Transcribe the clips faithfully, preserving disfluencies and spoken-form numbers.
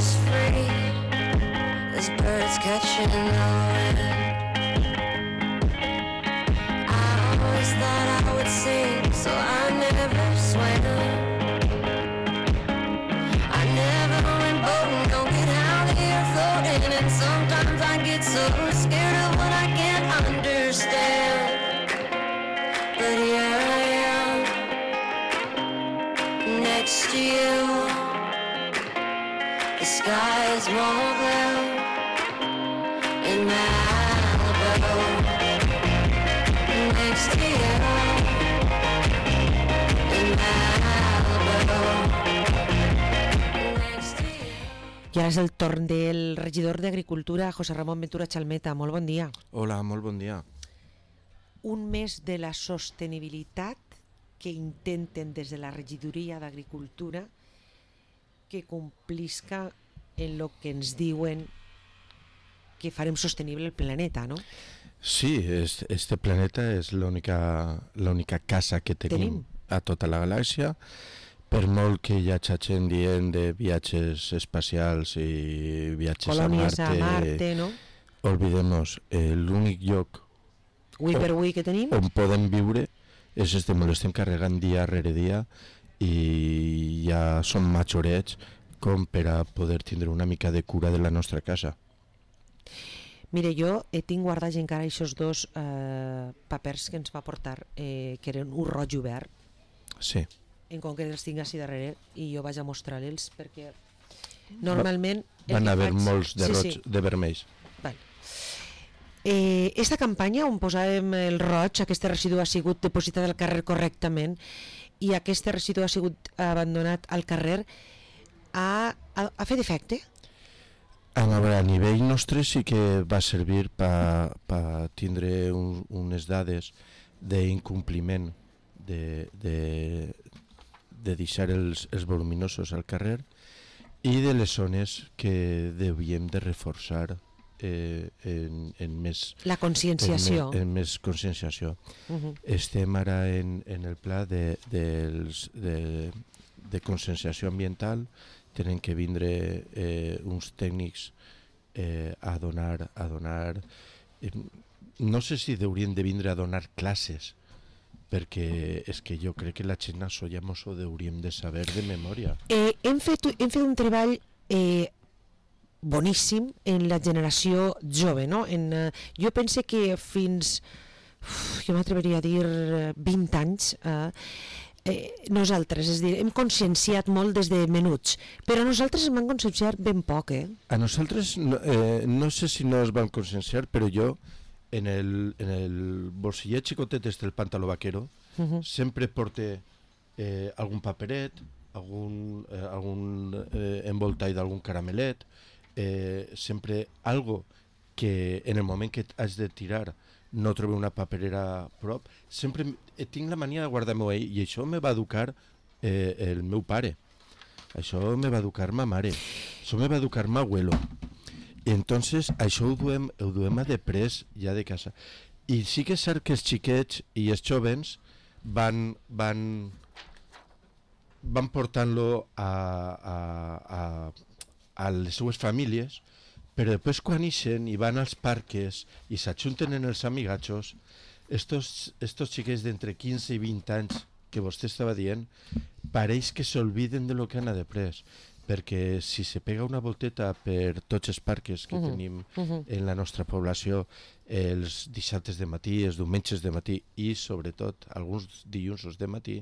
as free as birds catching the wind. I always thought I would sing, so I never swam. I never went boating, don't get out here floating, and sometimes I get so scared of what I can't understand. But here I am, next to you. The skies won't blue in Malibu. Next to you in Malibu. Next to you. I ara és el torn del regidor d'Agricultura, José Ramón Ventura Chalmeta. Molt bon dia. Hola, molt bon dia. Un mes de la sostenibilitat que intenten des de la regidoria d'Agricultura que complisca en lo que ens diuen que farem sostenible el planeta, ¿no? Sí, este, este planeta és l'única l'única casa que tenim, tenim a tota la galàxia, per molt que hi hagi gent dient de viatges espacials i viatges colònies a Marte, a Marte, no? Olvidem-nos, eh, l'únic lloc Avui per avui que tenim on podem viure és este, me l'estem carregant dia rere dia i ja som majorets com per a poder tindre una mica de cura de la nostra casa. Mire, jo he tinc guardats encara aquests dos eh, papers que ens va portar, eh, que eren un roig i verd. Sí. En concret els tinc així darrere i jo vaig a mostrar-los perquè normalment... Va, van haver faig... molts de sí, roig, sí. de vermells. Vale. Eh, esta campanya on posàvem el roig, aquest residu ha sigut depositat al carrer correctament i aquest residu ha sigut abandonat al carrer, ha, ha, ha fet efecte? A, veure, a nivell nostre sí que va servir per pa tindre un, unes dades d'incompliment de, de, de deixar els, els voluminosos al carrer i de les zones que devíem de reforçar eh, en, en més la conscienciació en, en més conscienciació. Uh-huh. Estem ara en, en el pla de, de, de, de conscienciació ambiental. Tenen que vindre eh, uns tècnics eh, a donar a donar eh, no sé si haurien de vindre a donar classes, perquè és que jo crec que la gent això ja mos ho hauríem de saber de memòria. Eh, hem, fet, hem fet un treball eh, boníssim en la generació jove, no? En, eh, jo pense que fins, uf, jo m'atreveria a dir vint anys, eh, eh, nosaltres, és a dir, hem conscienciat molt des de menuts, però nosaltres ens vam conscienciar ben poc, eh? A nosaltres, no, eh, no sé si no es van conscienciar, però jo en el, en el bolsillet xicotet del pantaló vaquero uh-huh. sempre porte eh, algun paperet, algun, eh, algun eh, envoltall d'algun caramelet, eh, sempre algo que en el moment que has de tirar no trobo una paperera a prop, sempre eh, tinc la mania de guardar-m'ho ahí, i això me va educar eh, el meu pare, això me va educar ma mare, això me va educar ma abuelo. I entonces això ho duem, ho duem a després ja de casa. I sí que és cert que els xiquets i els jovens van, van, van portant-lo a, a, a, a les seues famílies, però després quan ixen i van als parques i s'ajunten en els amigatxos, estos, estos xiquets d'entre quinze i vint anys que vostè estava dient, pareix que s'olviden de lo que han après, perquè si se pega una volteta per tots els parques que uh-huh. tenim uh-huh. en la nostra població els dissabtes de matí, els diumenges de matí i sobretot alguns dilluns de matí,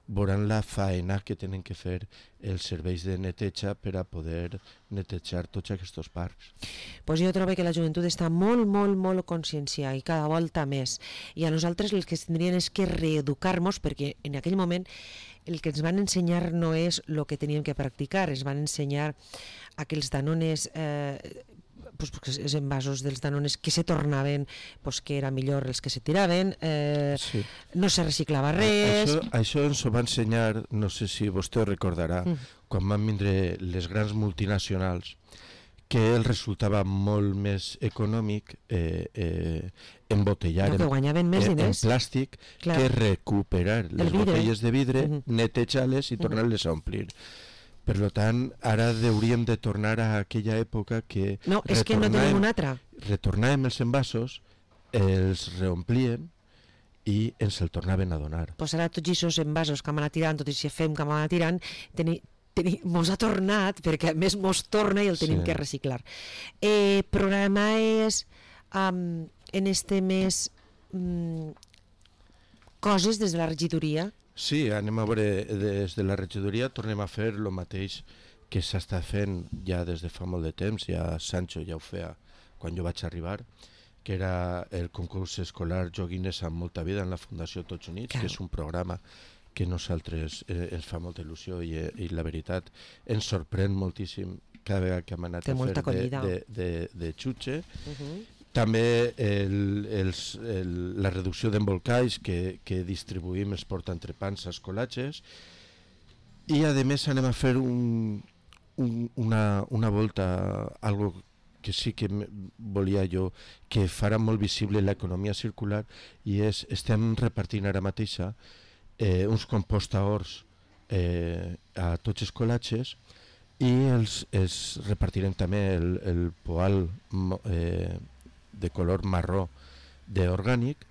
veuran la faena que tenen que fer els serveis de neteja per a poder netejar tots aquests parcs. Pues jo trobo que la joventut està molt, molt, molt conscienciada i cada volta més. I a nosaltres el que tindrien és que reeducar-nos, perquè en aquell moment el que ens van ensenyar no és el que teníem que practicar, ens van ensenyar aquells danones, eh, pues, els envasos dels danones que se tornaven, pues, que era millor els que se tiraven, eh, sí. no se reciclava res. Això, això ens ho va ensenyar, no sé si vostè ho recordarà, mm. quan van vindre les grans multinacionals, que el resultava molt més econòmic eh, eh, embotellar no, en, en, en, en plàstic Clar. que recuperar les botelles de vidre, uh-huh. netejar-les i tornar-les a omplir. Per tant, ara hauríem de tornar a aquella època que... No, és que no tenim una altra. Retornàvem els envasos, els reomplíem i ens el tornaven a donar. Pues ara tots aquests envasos que hem anat tirant, tot i si fem que hem anat tirant, teni, teni, mos ha tornat, perquè a més mos torna i el tenim Sí. que reciclar. Eh, programa és um, en este mes um, coses des de la regidoria. Sí, anem a veure, des de la regidoria tornem a fer el mateix que s'està fent ja des de fa molt de temps, ja Sancho ja ho feia quan jo vaig arribar, que era el concurs escolar Joguines amb molta vida en la Fundació Tots Units, Claro. que és un programa que nosaltres eh, ens fa molta il·lusió i, eh, i la veritat ens sorprèn moltíssim cada vegada que hem anat Té a molta fer de, acollida. de, de, de xutxe. Uh-huh. També el, els, el, la reducció d'embolcalls que, que distribuïm els portaentrepans als col·latges, i a més anem a fer un, un, una, una volta, algo que sí que me- volia jo, que farà molt visible l'economia circular, i és, estem repartint ara mateixa eh, uns compostaors eh, a tots els col·latges, i els, els repartirem també el, el poal mo- eh, de color marró d'orgànic,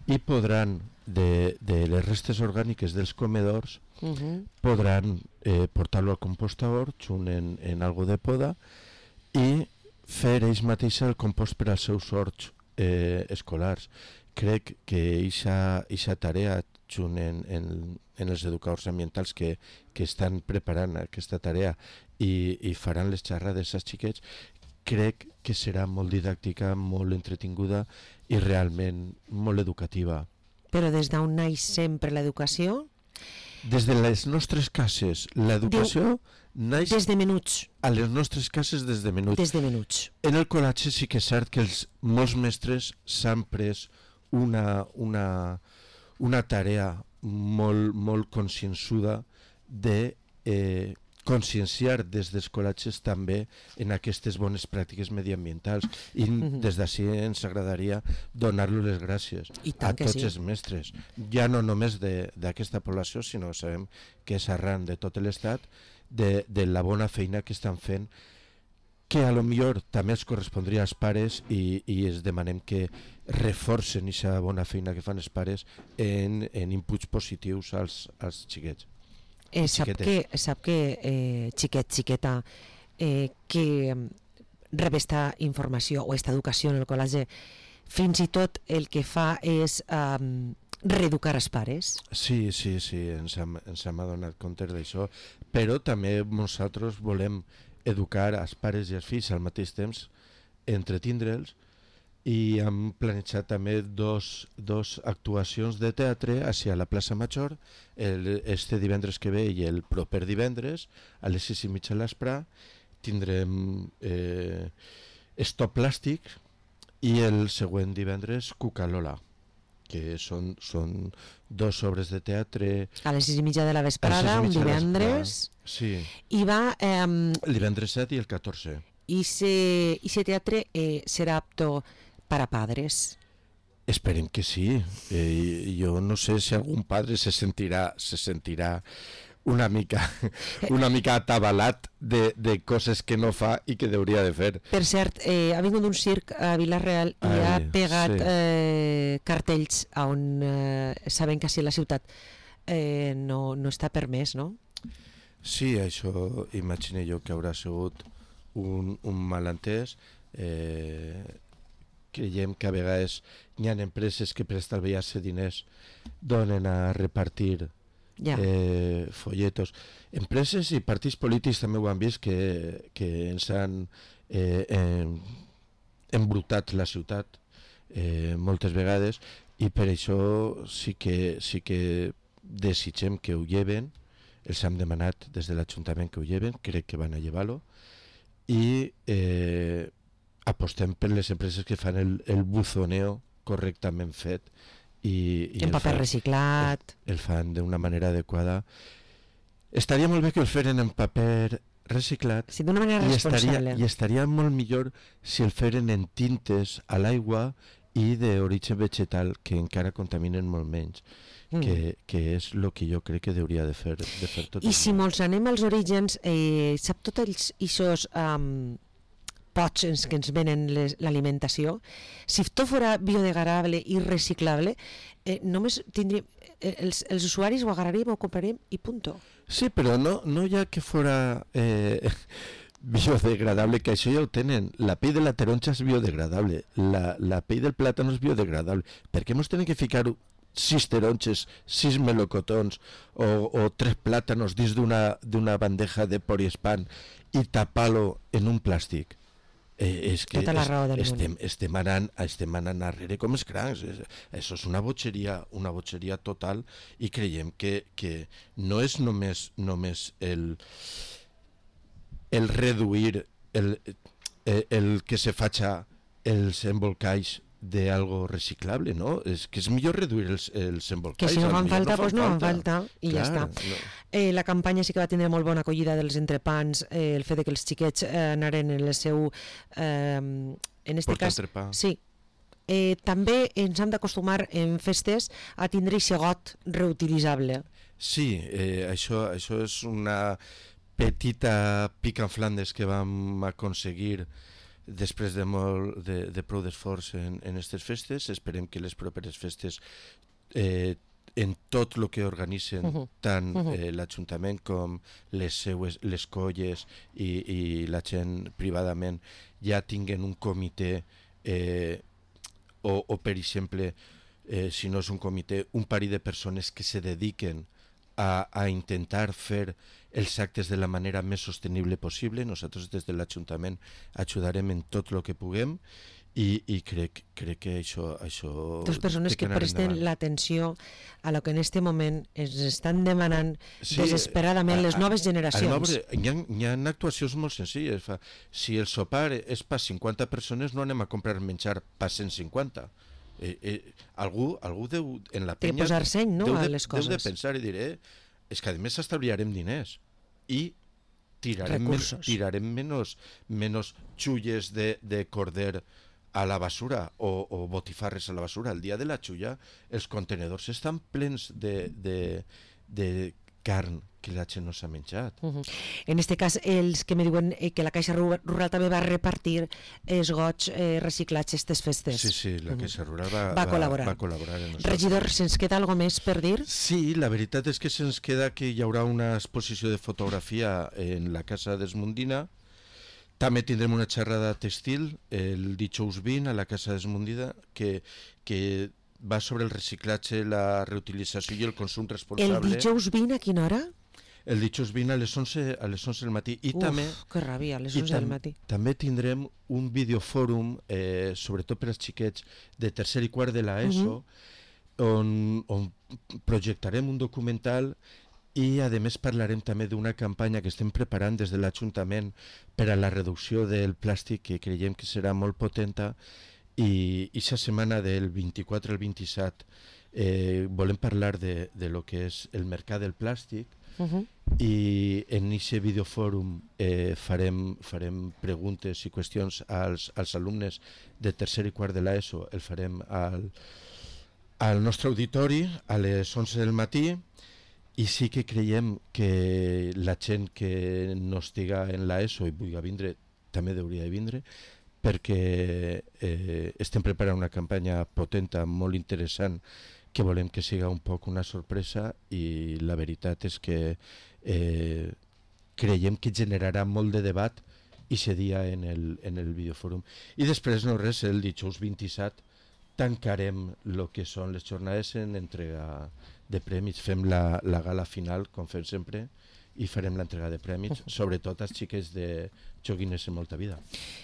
i podran, de, de les restes orgàniques dels comedors, Uh-huh. podran eh, portar-lo al compostaor junt en, en algo de poda i fer ells mateixa el compost per als seus horts eh, escolars. Crec que aquesta tarea junt en, en, en els educadors ambientals que, que estan preparant aquesta tarea i, i faran les xerrades als xiquets, crec que serà molt didàctica, molt entretinguda i realment molt educativa. Però des d'on naix sempre l'educació? Des de les nostres cases, l'educació naix Des de menuts. a les nostres cases des de menuts. Des de menuts. En el col·latge sí que és cert que els, molts mestres s'han pres una, una, una tarea molt, molt consciençuda de eh, conscienciar des dels col·latges també en aquestes bones pràctiques mediambientals, i Mhm. des d'ací ens agradaria donar-los les gràcies I a tant que tots sí. els mestres, ja no només de- d'aquesta població, sinó sabem que és arran de tot l'estat, de, de la bona feina que estan fent, que a lo millor també els correspondria als pares, i, i es demanem que reforcen aquesta bona feina que fan els pares en, en inputs positius als, als xiquets. Eh, sap Xiquetes. que, sap que eh, xiquet, xiqueta, eh, que mm, rep esta informació o esta educació en el col·legi, fins i tot el que fa és um, reeducar els pares. Sí, sí, sí, ens hem, ens hem adonat compte d'això, però també nosaltres volem educar els pares i els fills al mateix temps, entretindre'ls, i hem planejat també dos, dos actuacions de teatre hacia la plaça Major, el, este divendres que ve i el proper divendres, a les sis i mitja a l'Aspra. Tindrem eh, Stop Plàstic, i el següent divendres Cucalola, que són, són dos obres de teatre. A les sis i mitja de la a les sis vesprada, i un mitja de divendres, l'Aspra. Sí, i va... Eh, el divendres set i el catorze. i se, i se teatre eh, serà apto para padres. Esperem que sí. Eh, jo no sé si algun padre se sentirà, se sentirà una mica, una mica atabalat de, de coses que no fa i que hauria de fer. Per cert, eh, ha vingut un circ a Vila-real i Ai, ha pegat sí. eh, cartells on eh, saben que si la ciutat eh, no, no està permès, no? Sí, això imagino jo que haurà sigut un, un malentès. Eh, creiem que a vegades hi ha empreses que per estalviar-se diners donen a repartir Ja. eh, folletos. Empreses i partits polítics també ho han vist, que, que ens han eh, em, embrutat la ciutat eh, moltes vegades, i per això sí que, sí que desitgem que ho lleven. Els hem demanat des de l'Ajuntament que ho lleven, crec que van a llevar-lo, i eh, apostem per les empreses que fan el, el buzoneo correctament fet, i, i En el paper fan- reciclat. el, el fan d'una manera adequada. Estaria molt bé que el feren en paper reciclat, Sí, d'una manera i estaria, responsable. i estaria molt millor si el feren en tintes a l'aigua i d'origen vegetal, que encara contaminen molt menys, mm. que, que és el que jo crec que hauria de fer, de fer tot. I si molts anem als orígens, eh, sap tots els ixos um, pots en que ens venen les, l'alimentació, si tot fora biodegradable i reciclable, eh, només tindríem, eh, els, els usuaris ho agarraríem, ho compraríem i punto. Sí, però no, no ja que fora eh, biodegradable, que això ja ho tenen. La pell de la taronja és biodegradable, la, la pell del plàtan és biodegradable. Per què ens tenen que ficar sis taronges, sis melocotons o, o tres plàtanos dins d'una, d'una bandeja de poliespan i tapar-lo en un plàstic? Eh, és que Tota la raó del estem, estem, anant, estem anant arrere com els crancs. Això és una botxeria, una botxeria total, i creiem que, que no és només, només el, el reduir el, el, el que se faci els embolcalls d'algo reciclable, no? És que és millor reduir els, els embolcalls. Que si no fan falta, no doncs no fan falta, i Clar, ja està. No. Eh, la campanya sí que va tindre molt bona acollida dels entrepans, eh, el fet de que els xiquets eh, anaren en el seu... Eh, en este Portar cas, entrepà. sí. Eh, també ens hem d'acostumar en festes a tindre aquest got reutilitzable. Sí, eh, això, això és una petita pica en Flandes que vam aconseguir després de, molt, de, de prou d'esforç en, en aquestes festes. Esperem que les properes festes, eh, en tot el que organitzen uh -huh. tant uh -huh. eh, l'Ajuntament com les seues, les colles i, i la gent privadament, ja tinguen un comitè eh, o, o per exemple, eh, si no és un comitè, un parell de persones que se dediquen a, a intentar fer els actes de la manera més sostenible possible. Nosaltres des de l'Ajuntament ajudarem en tot el que puguem, i, i crec, crec que això... això Dos persones que presten l'atenció a lo que en este moment ens estan demanant sí, desesperadament a, a, les noves generacions. Veure, hi, ha, hi ha actuacions molt senzilles. Fa, si el sopar és per cinquanta persones, no anem a comprar menjar per cent cinquanta. Eh, eh, algú, algú deu, en la penya, de posar seny, no, deu de, a les coses. Deu de pensar i diré, és que a més estalviarem diners i tirarem, men, tirarem menys, menys xulles de, de corder a la basura o, o botifarres a la basura. El dia de la xulla els contenedors estan plens de, de, de carn que la gent no s'ha menjat. Uh -huh. En este cas, els que me diuen eh, que la Caixa Rural també va repartir els gots eh, reciclats aquestes festes. Sí, sí, la Caixa Rural va, va, col·laborar. va, va col·laborar en Regidor, se'ns queda alguna més per dir? Sí, la veritat és que se'ns queda que hi haurà una exposició de fotografia en la Casa d'Esmundina. També tindrem una xerrada textil el dijous vint a la Casa d'Esmundina que, que va sobre el reciclatge, la reutilització i el consum responsable. El dijous vint a quina hora? El dijous vint a les onze, a les onze del matí. I Uf, també, que ràbia, a les onze tam, del matí. També tindrem un videofòrum, eh, sobretot per als xiquets de tercer i quart de l'ESO, uh -huh. on, on projectarem un documental i a més parlarem també d'una campanya que estem preparant des de l'Ajuntament per a la reducció del plàstic, que creiem que serà molt potenta, i aquesta setmana del vint-i-quatre al vint-i-set eh, volem parlar de, de lo que és el mercat del plàstic. Uh -huh. I en aquest videofòrum eh, farem, farem preguntes i qüestions als, als alumnes de tercer i quart de l'ESO. El farem al, al nostre auditori a les onze del matí, i sí que creiem que la gent que no estiga en l'ESO i vulgui vindre també hauria de vindre, perquè eh, estem preparant una campanya potenta, molt interessant, que volem que siga un poc una sorpresa, i la veritat és que eh, creiem que generarà molt de debat i aquest dia en el, en el videofòrum. I després, no res, el dijous vint-i-set tancarem el que són les jornades en entrega de prèmits. Fem la, la gala final, com fem sempre, i farem l'entrega de prèmits, sobretot als xiquets de Joguines en molta vida.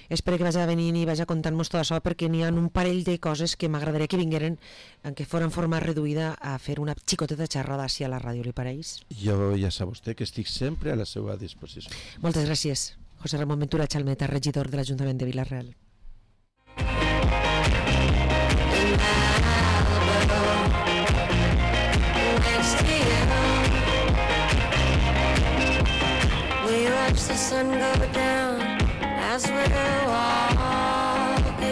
Espero que vagi venint i vagi contant-nos tot això, perquè n'hi ha un parell de coses que m'agradaria que vingueren, en què fora en forma reduïda, a fer una xicoteta xerrada així a la ràdio, li pareix? Jo ja sap vostè que estic sempre a la seva disposició. Moltes gràcies. José Ramon Ventura Chalmeta, regidor de l'Ajuntament de Vila-real. We watch the sun go down as we're walking.